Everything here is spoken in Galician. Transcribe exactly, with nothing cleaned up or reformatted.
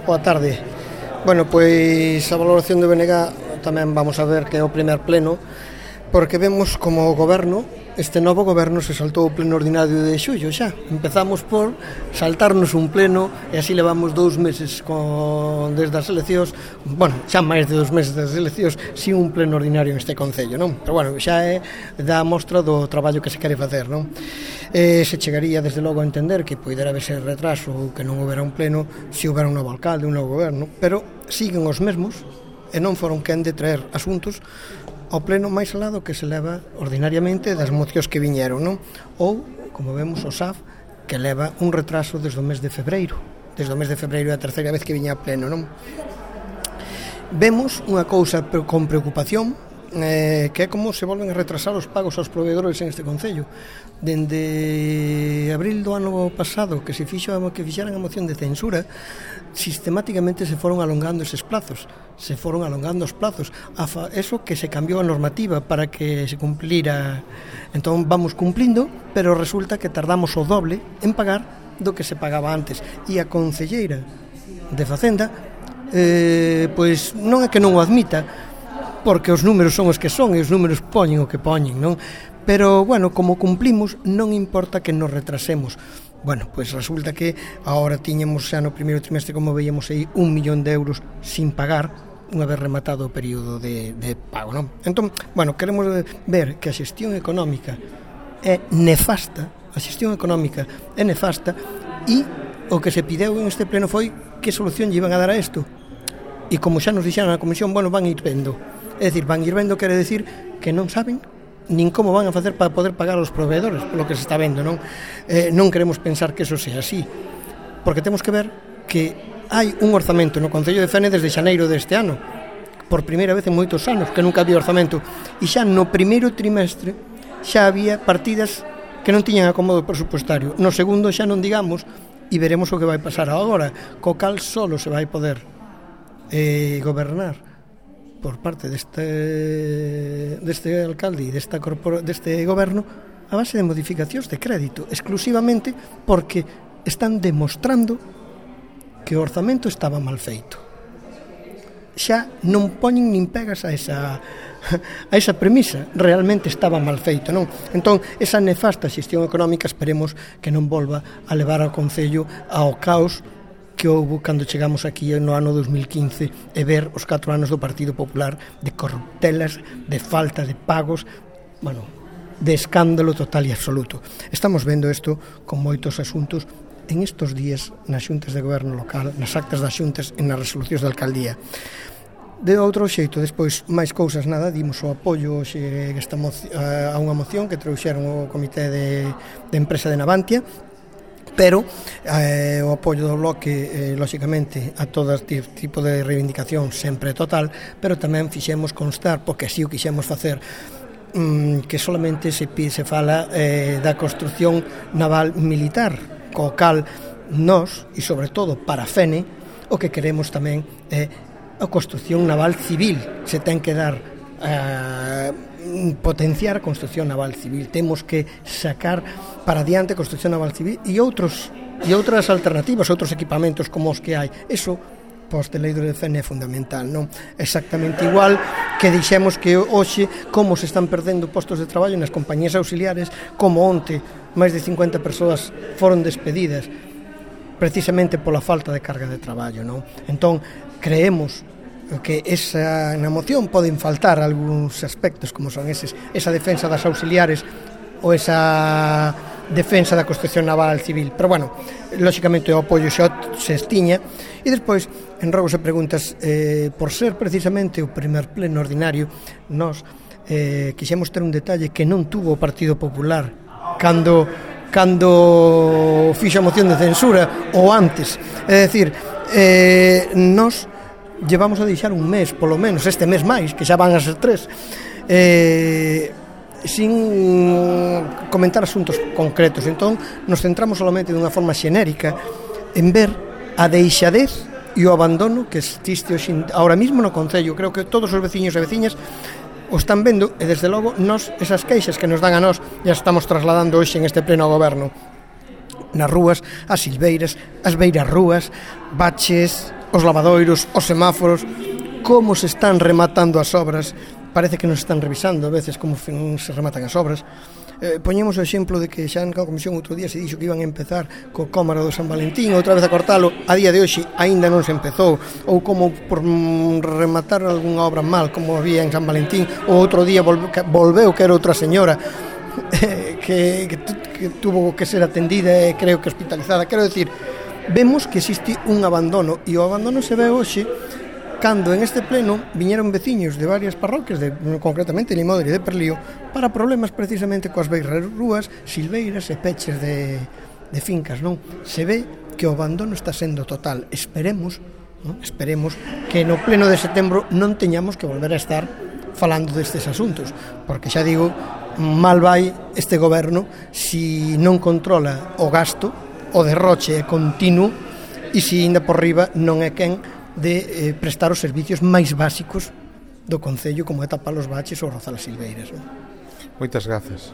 Boa tarde. Bueno, pois a valoración do B N G tamén vamos a ver que é o primer pleno, porque vemos como o goberno, este novo goberno se saltou o pleno ordinario de xullo xa. Empezamos por saltarnos un pleno e así levamos dous meses con, desde as eleccións, bueno, xa máis de dous meses das eleccións, sin un pleno ordinario neste concello, non? Pero bueno, xa é da mostra do traballo que se quere facer, non? Eh, se chegaría desde logo a entender que poidera haber ese retraso ou que non houbera un pleno se houbera un novo alcalde, un novo goberno, pero siguen os mesmos e non foron quen de traer asuntos ao pleno máis alado que se leva ordinariamente das mocións que viñeron, non? Ou, como vemos, o S A F que leva un retraso desde o mes de febreiro, desde o mes de febreiro é a terceira vez que viña a pleno, non? Vemos unha cousa con preocupación, eh, que é como se volven a retrasar os pagos aos proveedores en este concello. Dende abril do ano pasado que se fixo que fixeran a moción de censura, sistemáticamente se foron alongando eses plazos, se foron alongando os plazos, a fa, eso que se cambiou a normativa para que se cumplira. Entón vamos cumplindo, pero resulta que tardamos o doble en pagar do que se pagaba antes, e a concelleira de Facenda eh, pois non é que non o admita, porque os números son os que son e os números poñen o que poñen, non? Pero, bueno, como cumplimos, non importa que nos retrasemos. Bueno, pois resulta que agora tiñamos xa no primeiro trimestre, como veíamos aí, un millón de euros sin pagar unha vez rematado o período de, de pago, non? Entón, bueno, queremos ver que a xestión económica é nefasta, a xestión económica é nefasta, e o que se pideu en este pleno foi que solución lle iban a dar a isto. E como xa nos dixeron na comisión, bueno, van ir vendo. É dicir, van ir vendo quere decir que non saben nin como van a facer para poder pagar aos proveedores, polo que se está vendo, non? Eh, non queremos pensar que eso sea así, porque temos que ver que hai un orzamento no Concello de Fene desde xaneiro deste ano, por primeira vez en moitos anos, que nunca había orzamento, e xa no primeiro trimestre xa había partidas que non tiñan acomodo presupuestario. No segundo xa non digamos, e veremos o que vai pasar agora, co cal solo se vai poder eh, gobernar por parte deste, deste alcalde e desta corpora, deste goberno a base de modificacións de crédito, exclusivamente porque están demostrando que o orzamento estaba mal feito. Xa non poñen nin pegas a esa, a esa premisa, realmente estaba mal feito, non? Entón, esa nefasta xestión económica esperemos que non volva a levar ao concello ao caos que houve cando chegamos aquí no ano dos mil quince e ver os catro anos do Partido Popular de corruptelas, de falta de pagos, bueno, de escándalo total e absoluto. Estamos vendo isto con moitos asuntos en estos días nas xuntas de goberno local, nas actas das xuntas e nas resolucións da alcaldía. De outro xeito, despois, máis cousas, nada, dimos o apoio xe, esta moción, a unha moción que trouxeron o Comité de, de Empresa de Navantia, pero eh, o apoio do bloque, eh, lóxicamente, a todo tipo de reivindicación sempre total, pero tamén fixemos constar, porque así o quixemos facer, mm, que solamente se, se fala eh, da construción naval militar, co cal nós, e sobre todo para Fene, o que queremos tamén é a construción naval civil. Se ten que dar eh, potenciar a construción naval civil, temos que sacar para diante a construción naval civil e outros e outras alternativas, outros equipamentos como os que hai. Eso post-eleito de Fene é fundamental, non? Exactamente igual que dixemos que hoxe como se están perdendo postos de traballo nas compañías auxiliares, como onte máis de cincuenta persoas foron despedidas precisamente pola falta de carga de traballo, non? Entón, creemos que esa, na moción poden faltar algúns aspectos como son eses, esa defensa das auxiliares ou esa defensa da construción naval civil, pero bueno, lóxicamente o apoio xa se estiña. E despois, en rogos e preguntas, eh, por ser precisamente o primer pleno ordinario, nós eh, quixemos ter un detalle que non tuvo o Partido Popular cando cando fixo a moción de censura ou antes, é dicir, eh, nós llevamos a deixar un mes, polo menos este mes máis, que xa van a ser tres, eh, sin comentar asuntos concretos. Entón, nos centramos solamente dunha forma xenérica en ver a deixadez e o abandono que existe hoxe ahora mismo no concello. Creo que todos os veciños e veciñas o están vendo e, desde logo, nós, esas queixas que nos dan a nós, ya estamos trasladando hoxe en este pleno ao goberno. Nas rúas, as silveiras, as beiras rúas, baches, os lavadoiros, os semáforos, como se están rematando as obras. Parece que nos están revisando a veces como se rematan as obras. Eh, poñemos o exemplo de que xa en cada comisión outro día se dixo que iban a empezar co Cómaro do San Valentín, outra vez a cortalo, a día de hoxe aínda non se empezou, ou como por rematar algunha obra mal, como había en San Valentín, ou outro día volveu que, volveu que era outra señora eh, que, que, que tuvo que ser atendida e creo que hospitalizada. Quero decir, vemos que existe un abandono, e o abandono se ve hoxe cando en este pleno viñeron veciños de varias parroquias, de, concretamente Limodri e de Perlío, para problemas precisamente coas beiras rúas, silveiras e peches de, de fincas, non? Se ve que o abandono está sendo total. Esperemos, non? Esperemos que no pleno de setembro non teñamos que volver a estar falando destes asuntos, porque xa digo, mal vai este goberno si non controla o gasto, o derroche é continuo, e si ainda por riba non é quen de eh, prestar os servicios máis básicos do concello, como é tapar os baches ou rozar as silveiras, non? Moitas grazas.